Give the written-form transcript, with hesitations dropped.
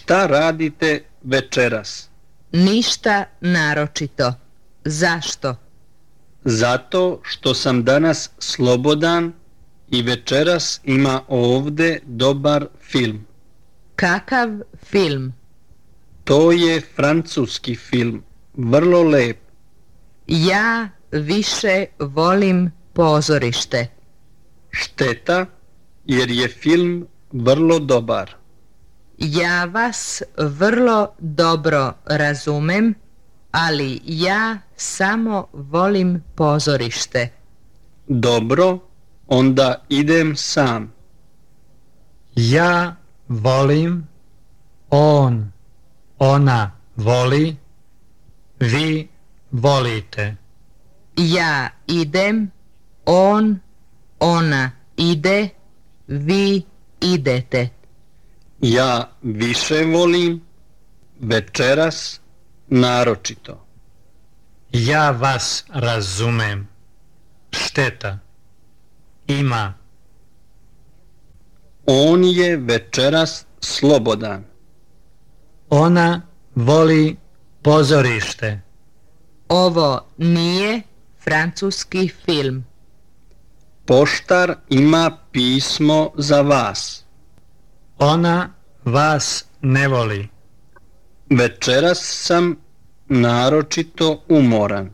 Šta radite večeras? Ništa naročito. Zašto? Zato što sam danas slobodan i večeras ima ovdje dobar film. Kakav film? To je francuski film, vrlo lep. Ja više volim pozorište. Šteta, jer je film vrlo dobar. Ja vas vrlo dobro razumem, ali ja samo volim pozorište. Dobro, onda idem sam. Ja volim, ona voli, vi volite. Ja idem, ona ide, vi idete. Ja više volim, večeras naročito. Ja vas razumem. Šteta. Ima. On je večeras slobodan. Ona voli pozorište. Ovo nije francuski film. Poštar ima pismo za vas. Ona vas ne voli. Večeras sam naročito umoran.